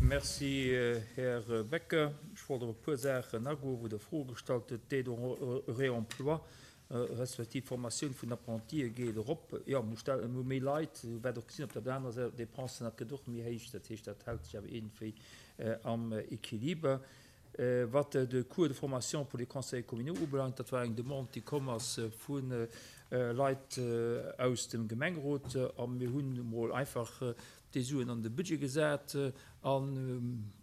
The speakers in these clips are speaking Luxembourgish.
Merci, Här Becker. Ech wollt op e puer Saachen agoen, wou Der Froe gestallt hutt. D'Aide au réemploi respektiv d'Formatioun vun Apprentie geet erop. Jo, mir stellen, mir hu méi Leit, wat och gesinn op der anerer Säit, d'Dépensen, dat gëtt och méi héich. Dat heescht, dat hält sech awer iergendwéi am Equiliber. Wat de Cours de formation pour les conseillers communaux ubelaangt, dat war eng Demande, déi komm ass vu Leit aus dem Gemengerot a mir hunn emol einfach déi Suen an de Budget gesat. An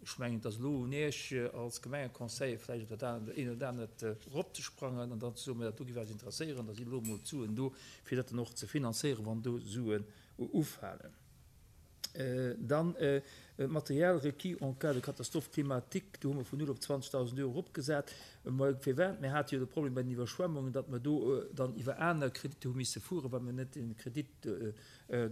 ech mengen, et ass elo un Iech als Gemengeconseiller vläicht op dat eent oder anert eropzesprangen an dann ze soen, mä dat do géif eis interesséieren, da sinn elo emol d'Suen do, fir dat dann och ze finanzéieren, wann do Suen ufalen. Dann d'Matériel requis en cas de catastrophe climatique, do hu mer vun 0 op 20.000 Euro eropgesat. Mä firwat? Mir hate jo de Problem bei den Iwwerschwemmungen, datt mer do dann iwwer aner Kreditter hu misse fueren, well mer net de Kredit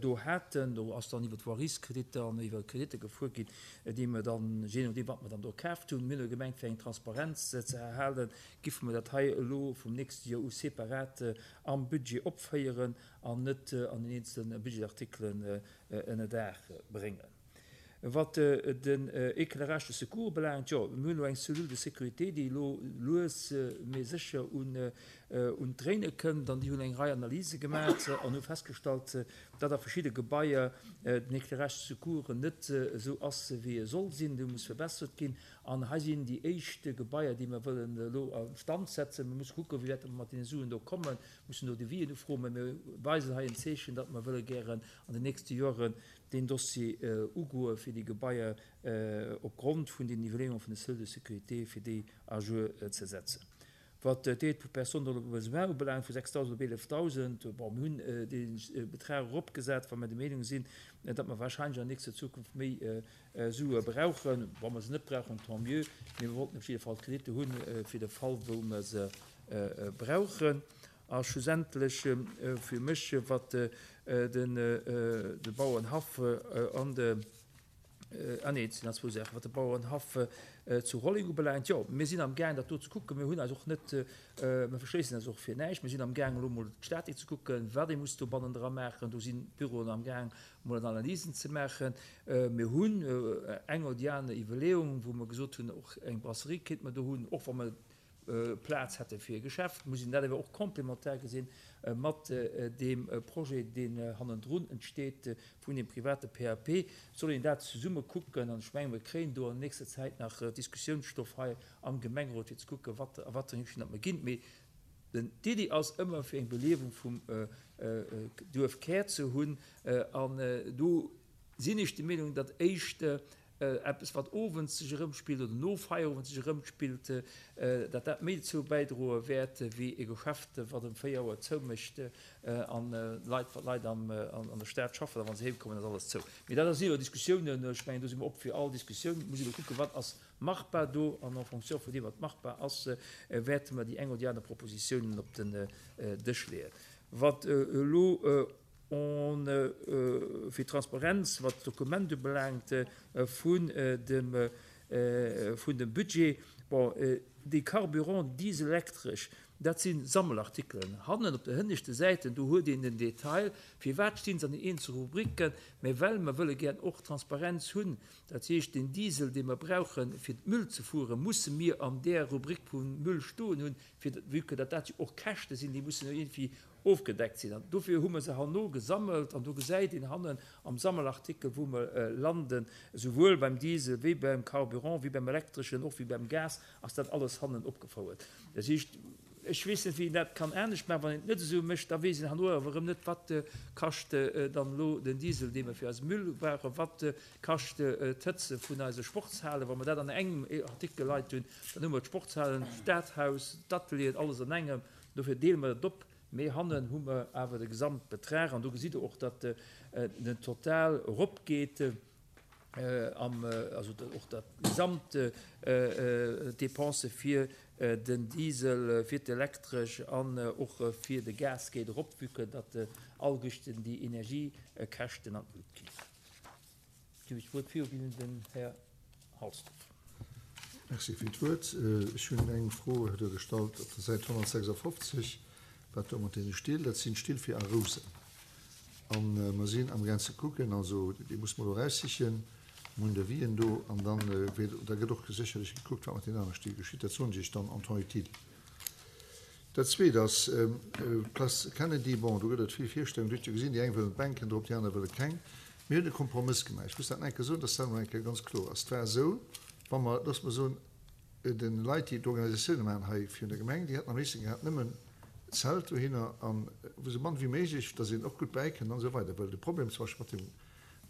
do haten. Do ass dann iwwer d'Voirieskreditter an iwwer Kreditter gefuer ginn, déi mer dann, jee nodeem wat mer dann do kaaft hunn. Mir hunn elo gemengt, fir eng Transparenz ze erhalen, giffe mer dat hei elo vum nächste Joer u separat am Budget opféieren. an net an den eenzele Budgetartikelen ënnerdaach bréngen. Wat den Éclairage de secours ubelaangt, jo, mir hunn elo eng Cellule de sécurité, déi elo lues mee sécher un d'Dréine kënnt an déi hunn eng Rei Analyse gemaach an hu festgestallt, datt a verschidde Gebaier den Éclairage de secours net esou ass, wéi e soll sinn, dee muss verbessert ginn. An hei sinn déi éischt Gebaier, déi mer wëllen elo a Stand setzen. Mir musse kucken, wéi wäit mer mat deene Suen do kommen. Mussen do Devisen ufroen, mä mir weisen hei en Zeechen, datt mer wëlle gären an den nächste Joren deen Dossier ugoe fir déi Gebaier opgrond vun den Iwwerleeunge vun de Cellules de sécurité, fir déi à jour ze setzen. Wat d'Aide pour personnes dans le besoin ubelaangt, vu 6.000 op 11.000, bon, mir hunn dee Betrag eropgesat, well mer der Meenung sinn, datt mer wahrscheinlech an nächster Zukunft méi Sue brauchen. Wa mer se net brauchen, tant mieux, mee mir wollten op jidde Fall d'Kreditte hunn, fir de Fall wou mer se brauchen. A schlussendlech fir mech, wat de Bauerenhaff an de, ah nee, et sinn nach zwou Saachen, wat de Bauerenhaff zu Rolleng ubelaangt, jo, mir sinn amgaang dat do ze kucken. Mir hunn eis och net, mir verschléissen eis och fir näischt. Mir sinn amgaang elo emol d'Statik ze kucken, wat ee muss do bannendra maachen. Do sinn d'Büroen amgaang emol Analysen ze maachen. Mir hunn eng oder déi aner Iwwerleeung, wou mer gesot hunn, och eng Brasserie kéinte mer do hunn, och wa mer Plaz hätte fir e Geschäft, muss een dat awer och complémentaire gesinn mat deem Projet, deen hannendrun entsteet vun deem private PAP. Et soll een dat zesumme kucken an ech mengen, mir kréien do an nächster Zäit nach Diskussiounsstoff hei am Gemengerot, fir ze kucken, wat a wat fir eng Richtung datt mer ginn. Mee d'Iddi ass ëmmer, fir eng Beliewung vum Duerfkär ze hunn an do sinn ech der Meenung, datt éischt eppes wat owends sech erëmspillt oder no Feierowend sech erëmspillt, datt dat méi dozou bäidroe wäert wéi e Geschäft wat ëm 4 Auer zoumécht an Leit, wat Leit an der Stad schaffen a wa se heem kommen ass alles zou. Mee dat si jo Diskussiounen, ech mengen do si mer op fir all Diskussioun. Et muss ee elo kucken, wat ass machbar do an en fonction vun deem wat machbar ass, wäerte mer déi eng oder déi aner Propositiounen op den Dësch leeën. Wat elo On fir Transparenz, wat d'Dokument ubelaangt vun dem vun dem Budget. Bon, déi Carburant dieselektresch, dat si Sammelartikelen. Hannen op de hënneschte Säiten, do huet een den Detail, firwat stinn se an den eenzele Rubriken. Mä well mer wëlle gären och Transparenz hunn, dat heescht den Diesel, dee mer brauchen, fir d'Müll ze fueren, musse mir an där Rubrik vum Müll stoen hunn, fir, vue que dat dat jo och Käschte sinn, déi mussen jo iergendwéi Ofgedeckt sinn. An dofir hu mer se herno gesammelt an do gesäit een hannen am Sammelartikel, wou mer landen, esouwuel beim Diesel wéi beim Carburant, wéi beim Elektreschen, och wéi beim Gas, ass dat alles hannen opgefouert. Dat heescht, ech weess net, wéi een dat kann anescht maachen. Wann een et net esou mécht, da weess een herno awer erëm net, wat kascht dann elo den Diesel, dee mer fir eise Müll brauchen, wat kascht d'Hëtze vun eise Sportshalen. Wa mer dat an engem Artikel leit hunn, dann hu mer d'Sportshalen, d'Stadhaus, d'Atelieren, alles an engem. Dofir deele mer et op, mee hannen hu mer awer de Gesamtbetrag an do gesitt Der och, datt den Total eropgeet, also och dat gesamt Dépense fir den Diesel, fir d'Elektresch an och fir de Gas geet erop, vue que datt alleguerten déi Energiekäschten an d'Lut ginn. Ginn ech d'Wuert viru ginn un den Här Halsdorf. Merci fir d'Wuert. Ech hunn eng Fro do gestallt op der Säit 156, wat do mat deene Still, dat sinn Still fir a Rousen. A mer sinn amgaang ze kucken, also déi musse mer elo eraussichen. Mir hunn Devisen do an dann da gëtt och sécherlech gekuckt, wat mat deenen anere Still geschitt. Dat soen ech Iech dann en temps utile. Dat Zweet ass d'Place Kennedy. Bon, do gëtt et vill Virstellungen. Dir hutt jo gesinn, déi eng wëllen d'Bänken drop, déi aner wëlle keng. Mir hunn e Kompromëss gemaach. Ech muss dat nach eng Kéier soen, dass dat emol eng Kéier ganz kloer ass. Et war esou, wa mer, loosse mer soen, de Leit, déi d'Organisatioune maachen hei virun der Gemeng, déi hätten am léifsten gehat nëmmen Zelt dohinner an esou mann wéi méiglech, dass een och gutt bäikënnt an esou weider. Well de Problem zum Beispill mat dem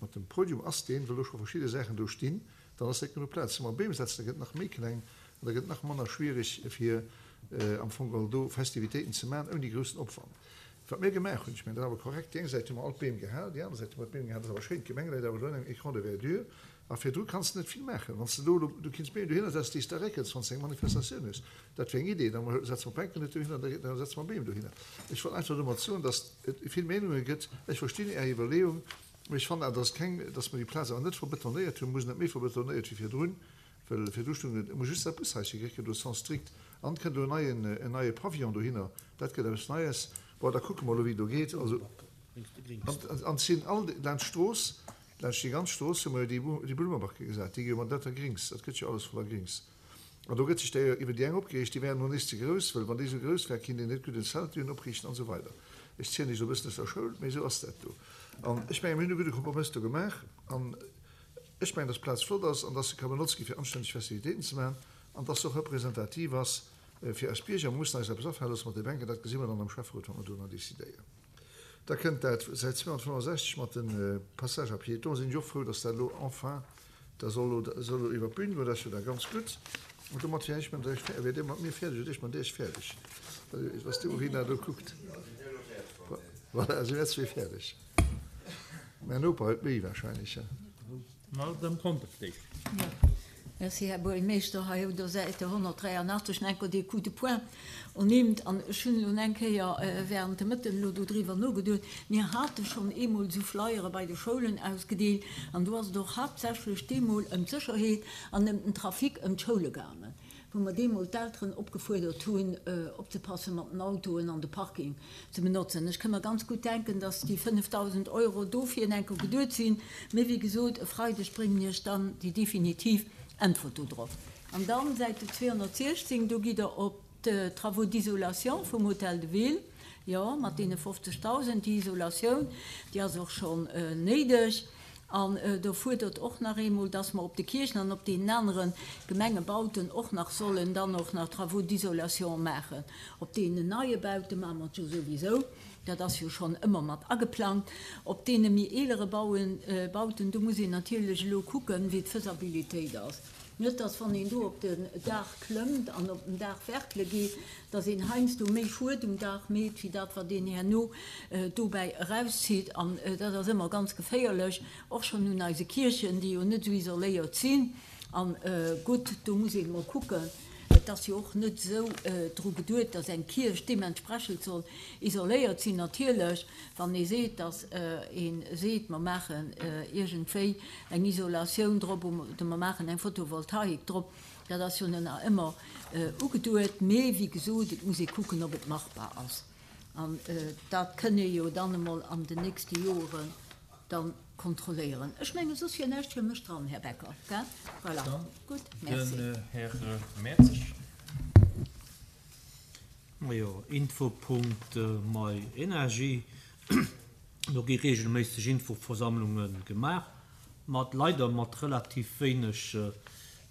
Mat dem Podium ass deen, well do scho verschidde Saachen do stinn, dann ass net genuch Plaz. Wa mer Beem setzen, da gëtt et nach méi kleng an da gëtt et nach manner schwierig fir am Fong geholl do Festivitéiten ze maachen ouni groussen Opwand. Wat mir gemaach hunn, ech mengen dat ass awer korrekt, déi eng Säit hu mer all d'Beem gehal, déi aner Säit hu mer d'Beem gehal, dat ass awer schéin, d'Gemeng läit awer elo an engem Écran de verdure a virdru kanns de net vill maachen. Wann s de do elo, du kinns Beem dohinner setzen, déi s de réckels, wann s de eng Manifestatioun hues. Dat wier eng Idee, da setze mer d'Bänken net dohinner, da setze mer Beem dohinner. Ech wollt einfach domat soen, datt et vill Meenunge gëtt. Ech verstinn Är Iwwerleeung, mee ech fannen awer, datt keng, datt mer déi Plaz awer net verbetonéiert hunn. Mer hu se net méi verbetonéiert wéi virdrun, well virdru stoung et, muss just dat Bushaische grécken do, Sens strict. An et kënnt elo en neien, en neie Pavillon dohinner, dat gëtt eppes Neies. Bon, da kucke mer elo, wéi et do geet. Also, an et sinn all, laanscht d'Strooss, laanscht déi ganz Strooss hu mer jo déi Blummebacke gesat, déi gi jo mat lauter Grings, dat gëtt jo alles voller Grings. An do gëtt sech da iwwer déi eng opgereegt, déi wären elo nees ze grouss, well wann déi esou grouss wär, kinnt een net gutt en Zelt dohin opriichten an esou weider. Ech zielen iech elo e bëssen aus der Schoul, mee esou ass dat do. An ech mengen, mir hunn e gudde Kompromëss do gemaach an ech mengen, dass d'Plaz flott ass an dass se ka benotzt gi fir anstänneg Festivitéiten ze maachen an dass se och representativ ass fir eis Bierger. Mer mussen eis eppes afale loosse mat de Bänken, dat gesi mer dann am Schäfferot, wa mer do nach decidéieren. Da kënnt dat Säit 265 mat de Passages à piétons. Sinn ech och frou, dass dat elo enfin da soll elo soll elo iwwer d'Bün goen. Dat ass jo da ganz gutt. An domat wier ech mat iech fäerdeg. Wier Dir mat mir fäerdeg oder ech mat Iech fäerdeg? Was de Urin do kuckt. Voilà, si mir zwee fäerdeg. Mäin Noper huet méi wahrscheinlech. Madame Conter. Merci, Här Buergermeeschter. Hei op der Säit 183 enker dee Coup de poing ernimmt. An ech hunn elo eng Kéier während dem Mëtten elo dodriwwer nogeduet. Mir hate schonn eemol esou Flyere bei de Schoulen ausgedeelt an do ass et och haaptsächlech deemol ëm d'Sécherheet an ëm den Trafic ëm d'Schoule gaangen. wou mer deemol d'Elteren opgefuerdert hunn, opzepasse mat den Autoen an de Parking ze benotzen. Ech ka mer ganz gutt denken, dass déi 5.000 Euro dofir enker geduet sinn. Mee wéi gesot, e Freideg bréngen Iech dann déi definitiv Äntwert do drop. An dann, Säit 216, do gitt Der op d'Travaux d'isolation vum Hôtel de Ville, jo, mat deene 50.000. Déi Isolatioun, déi ass och schonn néideg. An do fuerdert och nach eemol, dass mer op de Kierchen an op deenen anere Gemengebauten och nach sollen dann och nach Travaux d'isolation maachen. Op deenen neie Baute maache mer et jo souwisou, dat ass jo schonn ëmmer mat ageplangt. Op deene méi eelere Bauten, do muss een natierlech elo kucken, wéi d'Faisabilitéit ass. Net, dass wann een do op den Daach klëmmt an op den Daach werkele geet, dass een heiansdo méi Schued um Daach meet, wéi dat wat een herno dobäi erauszitt. An dat ass ëmmer ganz geféierlech, och schonn un eise Kierchen, déi jo net esou isoléiert sinn. An gutt, do muss een emol kucken. Et ass jo och net esou dru geduet, dass eng Kierch deementsprechend soll isoléiert sinn. Natierlech, wann ee seet, dass ee seet, mer maachen iergendwéi eng Isolatioun drop oder mer maachen eng Photovoltaik drop, dat ass jo nach ëmmer ugeduet. Mee wéi gesot, et muss ee kucken, ob et machbar ass. An dat kënn ee jo dann emol an den nächste Joren da kontrolléieren. Ech mengen, soss wier näischt fir mech dran, Här Becker, gell? Voilà, gutt, merci. Den Här Mertzig. Majo, Infopunkt myenergy, do gi reegelméisseg Infoversammlunge gemaach, mat leider mat relativ wéineg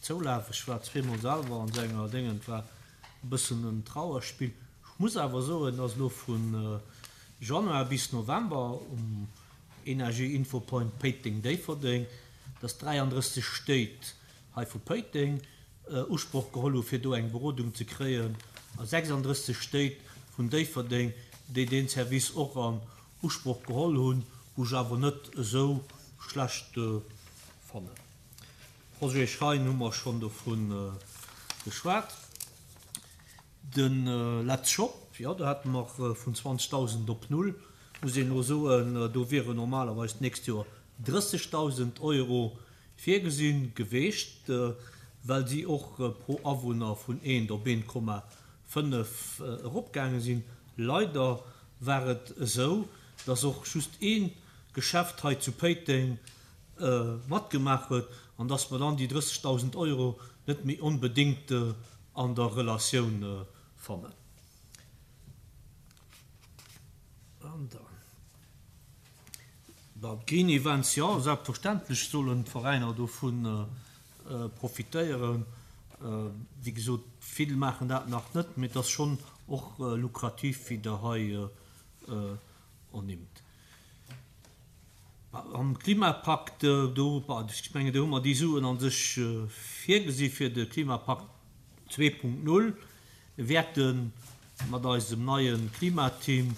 Zoulaf. Ech war zweemol selwer an senger Déngen, et war e bëssen en Trauerspill. Ech muss awer soen, dass elo vu Januar bis November um Energie Infopoint Péiteng-Déifferdeng, dass 33 Stéit hei vu Péiteng Usproch geholl hu fir do eng Berodung ze kréien a 36 Stéit vun Déifferdeng, déi deen Service och an Usproch geholl hunn, wou ech awer net esou schlecht fannen. Projet Schein hu mer schonn dovu geschwat. De Let's Shop, jo, do hate mer vun 20.000 op null, muss een elo soen, do wieren normalerweis d'nächst Joer 30.000 Euro virgesinn geweecht, well si och pro Awunner vun eent op 1,5 eropgaange sinn. Leider war et esou, dass och just ee Geschäft hei zu Péiteng matgemaach huet. An dass mer dann déi 30.000 Euro net méi onbedéngt an der Relatioun fannen. An dann, bon, d'Green Events, jo, selbstverständlech sollen d'Veräiner dovu profitéieren. Wéi gesot, vill maachen dat nach net, mee et ass schonn och lukrativ, wéi Der hei ernimmt. Am Klimapakt, do, ech mengen, do hu mer déi Suen a sech virgesi fir de Klimapakt 2.0. Mir wäerte mat eisem neie Klimateam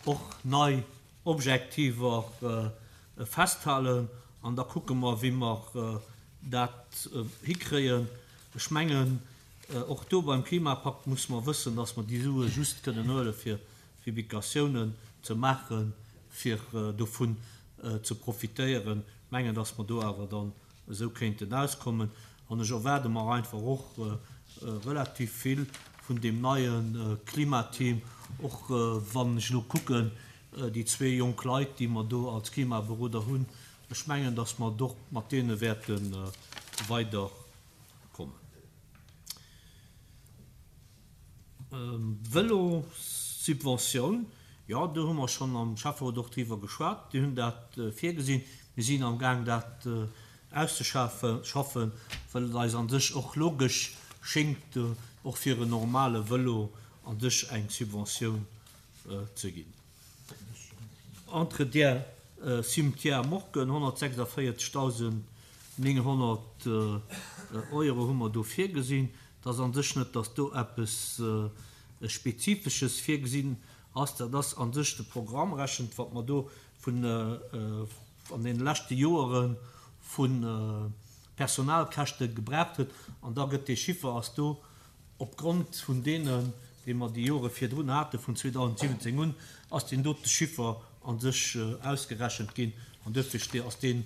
och nei Objektiver festhalen an da kucke mer, wéi mer dat hikréien. Ech mengen, och do beim Klimapakt musse mer wëssen, dass mer déi Sue just kënnen huele fir Publikatiounen ze maachen, fir dovun ze profitéieren. Mengen, dass mer do awer dann esou kéinten auskommen. An ech erwaarde mer einfach och relativ vill vun deem neie Klimateam, och wann ech elo kucken, déi zwee jonk Leit, déi mer do als Klimaberoder hunn. Ech mengen, dass mer och mat deene wäerte weiderkommen. Vëlossubventioun, jo, do hu mer schonn am Schäfferot och driwwer geschwat. Déi hunn dat virgesinn. Mir sinn am Gaang dat auszeschaffen, well et eis a sech och logesch schéngt, och fir en normale Vëlo a sech eng Subventioun ze ginn. Entretien Cimetière Morken, 146.900 Euro hu mer do virgesinn. Et ass a sech net, datt do eppes Spezifesches virgesinn ass. Dat ass a sech de Programm rechent, wat mer do vun an deene leschte Joere vu Personalkäschte gebraucht huet. An da gëtt dee Chiffer ass do opgrond vun deenen, déi mer déi Jore virdrun haten, vun 2017 un, ass deen dote Chiffer a sech ausgerechent ginn. An duerfir ass deen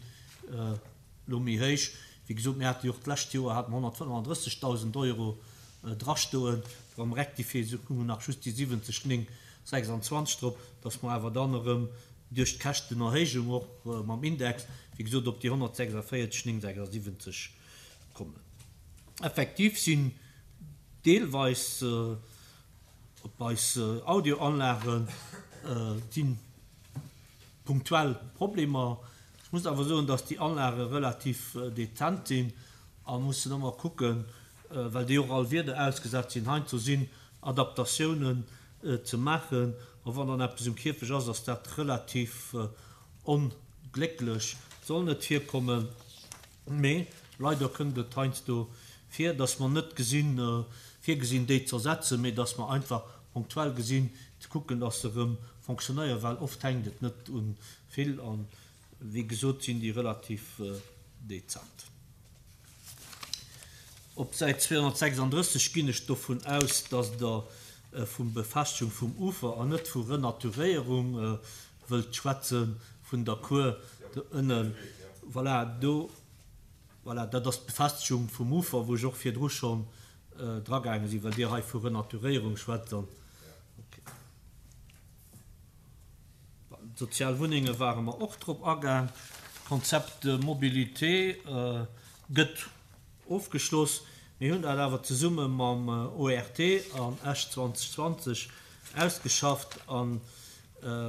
elo méi héich. Wéi gesot, mir hate jo och d'lescht Joer hate mer 135.000 Euro drastoen. Am Rectifié hu mer nach just déi 70 926 drop, dass mer awer dann erëm duerch d'Käschtenerhéijung och mam Index, wéi gesot, op déi 146 976 kommen. Effektiv sinn deelweis op eis Audioanlage sinn punktuell Problemer. Ech muss awer soen, dass déi Anlage relativ dezent sinn a mussen ëmmer kucken, well déi och all Wieder ausgesat sinn, heiansdo sinn Adaptatiounen ze maachen. A wann dann eppes um Kierfech ass, ass dat relativ onglécklech. Soll net virkommen, mee leider kënnt et heiansdo vir, dass mer net gesinn, virgesinn déi z'ersetzen, mee dass mer einfach punktuell gesinn, ze kucken, dass se erëm fonctionnéieren, well oft hänkt et net u vill an wéi gesot sinn déi relativ dezent. Op Säit 236 ginn ech dovun aus, dass Der vu Befestigung vum Ufer an net vu Renaturéierung wëllt schwätzen, vun der Cour do ënnen. Voilà, do, voilà, dat ass d'Befestigung vum Ufer, wou ech och virdru schonn dragaange sinn, well Dir hei vu Renaturéierung schwätzt an, okay. D'sozial Wunnenge ware mer och drop agaang. D'Konzept Mobilité gëtt ofgeschloss. Mir hunn dat awer zesumme mam ORT an Esch 2020 ausgeschafft a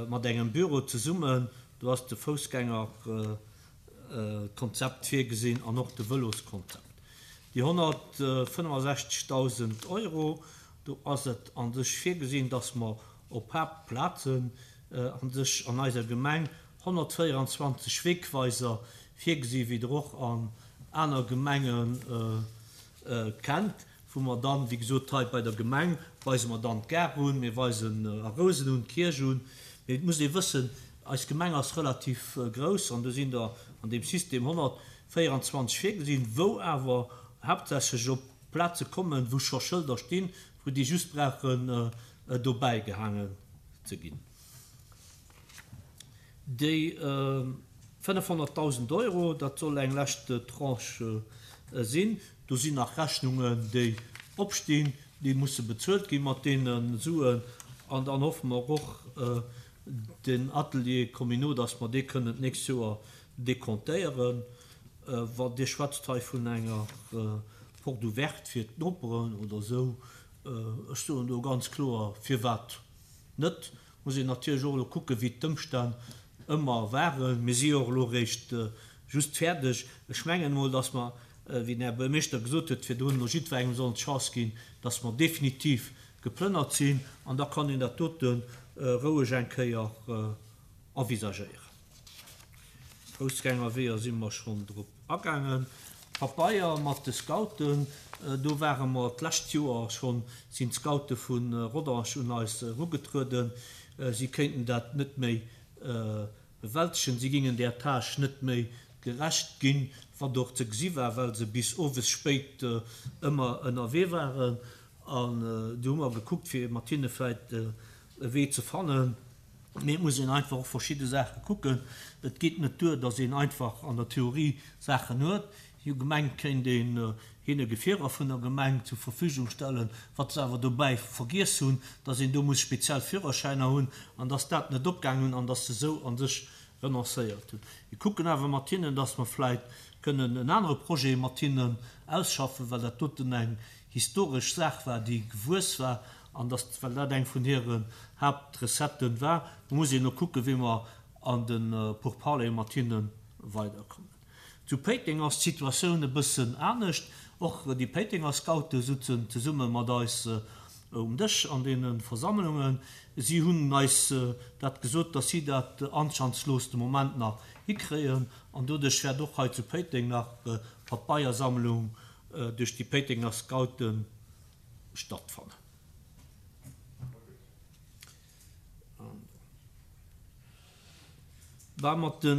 mat engem Büro zesummen. Do ass de Foussgängerkonzept virgesinn an och de Vëloskonzept. Déi 165.000 Euro, do ass et a sech virgesinn, dass mer op Haaptplazen a sech an eiser Gemeng 124 Wegweiser virgesi wéi Der och an aner Gemenge kennt, wou mer dann, wéi gesot, hei bei der Gemeng weise mer dann d'Gare un, mir weisen a Rousen un, d'Kierch un. Mee et muss ee wëssen, eis Gemeng ass relativ grouss an do sinn der an deem System 124 virgesinn, wou awer haaptsächlech op Plaze kommen, wou scho Schëlder stinn, wou déi just brauchen dobäi gehaangen ze ginn. Déi 500.000 Euro, dat soll eng lescht Tranche sinn. Do sinn nach Rechnungen, déi opstinn, déi musse bezuelt gi mat deene Suen. An dann hoffe mer och, den Atelier communaux, dass mer dee kënnen d'nächst Joer decomptéieren. Wann Dir schwätzt hei vun enger Porte ouverte fir d'Noperen oder esou, ech soen do ganz kloer, firwat net? Muss een natierlech och elo kucken, wéi d'Ëmstänn ëmmer waren. Mir si jo och elo eréischt just fäerdeg. Ech mengen emol, dass mer, wéi den Här Buergermeeschter gesot huet virdrun, elo jiddwerengem sollen d'Chance ginn, dass mer definitiv geplënnert sinn an da kann een dat dote roueg eng Kéier envisagéieren. Foussgängerweeër si mer schonn drop agaangen. Pabeier mat de Scouten, do ware mer d'lescht Joer schonn, sinn d'Scoute vu Rodange un eis erugetrueden, si kéinten dat net méi bewältegen, si gingen där Tâche net méi gerecht ginn, wat och ze gesi war, well se bis owes spéit ëmmer ënnerwee waren. An du hu mer gekuckt, fir mat hinne vläicht e Wee ze fannen. Mee et muss een einfach och verschidde Saache kucken. Et geet net duer, datt een einfach an der Theorie Saachen huet. Si hu gemengt, kéint een hinne Gefierer vun der Gemeng zur Verfügung stellen, wat se awer dobäi vergiess hunn, datt een do muss speziell Führerschäiner hunn an datt dat net opgaangen hunn an datt se esou a sech renoncéiert hunn. Mir kucken awer mat hinnen, datt mer vläit kënnen en anere Projet mat hinnen ausschaffen, well dat doten eng historesch Saach war, déi gewuess war an datt, well dat eng vun hiren Haaptrecetten war, do muss een elo kucken, wéi mer an de Pourparlere mat hinne weiderkommen. Zu Péiteng ass d'Situatioun e bëssen anescht. Och déi Péitenger Scoute sutzen zesumme mat eis um Dësch an deene Versammlungen. Si hunn eis dat gesot, datt si dat anschandslos de Moment nach hikréien an doduerch wäert och hei zu Péiteng nach Papeiersammlung duerch déi Péitenger Scoute stattfannen. Bah, mat de,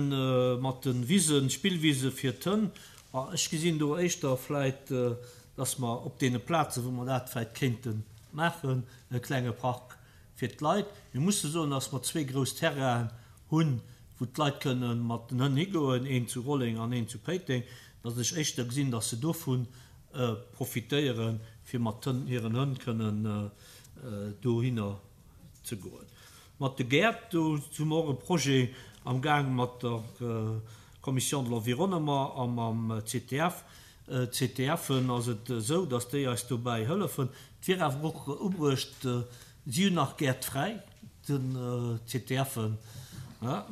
mat de Wisen, Spillwise fir d'Hënn, bah, ech gesinn do éischter vläit, dass mer op deene Plazen, wou mer dat vläit kéinte maachen, e klenge Park fir d'Leit. Mir musse soen, dass mer zwee grouss Terrainen hunn, wou d'Leit kënne mat den Hënn higoen, een zu Rolleng an een zu Péiteng, dass ech éischter gesinn, dass se dovun profitéieren, fir mat hiren Hënn kënnen dohinner ze goen. Mat de Gäert, do hu mer och e Projet am Gaang mat der Commission de l'Environnement a mam CTF. CTFen ass et esou, datt déi eis dobäi hëllefen. Et wier awer och ubruecht, si hunn nach Gäert fräi, den CTFen,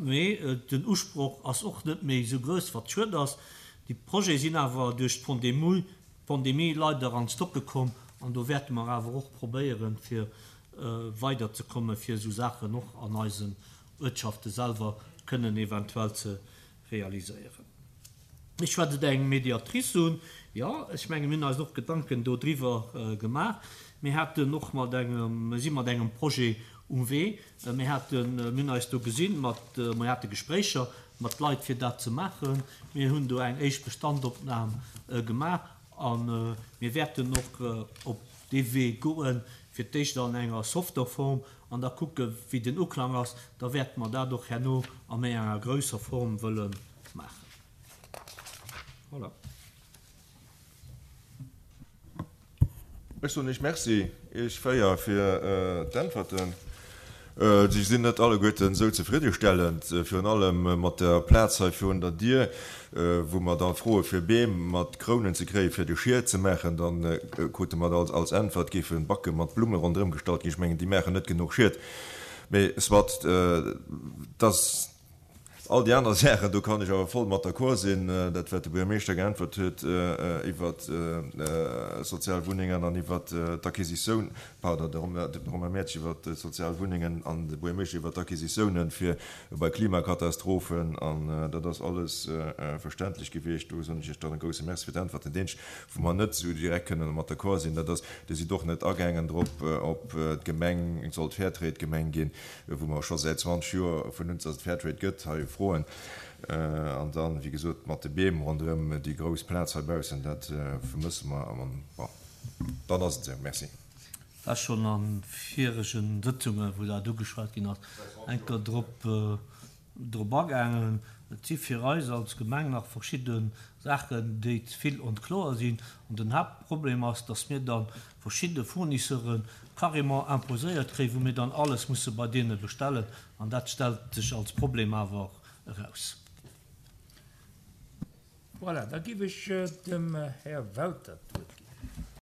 mee den Usproch ass och net méi esou grouss, wat schued ass. Déi Projete sinn awer duerch d'Pandemie leider an d'Stocke komm an do wäerte mer awer och probéieren, fir weiderzekommen, fir esou Saachen och an eisen Uertschafte selwer kënnen eventuell ze realiséieren. Ech schwätz et eng Mediatrice un. Jo, ech menge mir hunn eis och Gedanken dodriwwer gemaach. Mir haten och mat engem, mir si mat engem Projet um Wee. Mir haten, mir hunn eis do gesinn mat, mir hate Gespréicher mat Leit fir dat ze maachen. Mir hunn do eng éischt Bestandopnam gemaach a mir wäerten och op dee Wee goen, fir d'éischt an enger softer Form an da kucke wéi den Uklang ass. Da wäerte mer dat och herno a méi enger grousser Form wëlle maachen. Voilà. Ech soen Iech Merci, Iech 4, fir d'Äntwerten. Si sinn net alleguerten esou zefriddestellend, virun allem mat der Plaz hei virun der Dier, wou mer da froe fir Beem mat Krounen ze kréien, fir de Schiet ze maachen. Da krute mer als Äntwert, géife Backe mat Blumme ronderëm gestallt ginn. Ech mengen, déi maachen net genuch Schiet. Mee soit, dass. All déi aner Saachen, do kann ech awer voll mat d'accord sinn, dat wat de Buergermeeschter geäntwert huet iwwert sozial Wunnengen an iwwert d'Acquisitioun, pardon, de Romain Mertsch iwwert d'sozial Wunnengen an de Buergermeeschter iwwert d'Acquisitiounen fir bei Klimakatastrophen, an dat ass alles verständlech gewiescht. Do soen ech Iech dann e grouse Merci fir d'Äntwerten. Deen, wou mer net esou direkt kënnen mat d'accord sinn, dat ass, Dir sidd och net agaangen drop, ob d'Gemeng sollt Fairtrade-Gemeng ginn. wou mer scho säit 20 Joer vun un, dass et Fairtrade gëtt, hei froen. An dann, wéi gesot, mat de Beem ronderëm déi grouss Plaz heibaussen, dat vermësse mer. An bon, dann ass et esou. Merci. War schonn a virege Sëtzungen, wou dat ugeschwat ginn ass, eng Kéier drop drop agaangen. Et si fir eis als Gemeng nach verschidde Saachen, déi ze vill onkloer sinn. An den Haaptproblem ass, dass mir da verschidde Fournisseure carrément imposéiert kréien, wou mir dann alles musse bei deene bestellen. An dat stellt sech als Problem awer eraus. Voilà, da giff ech dem Här Welter d'Wuert ginn.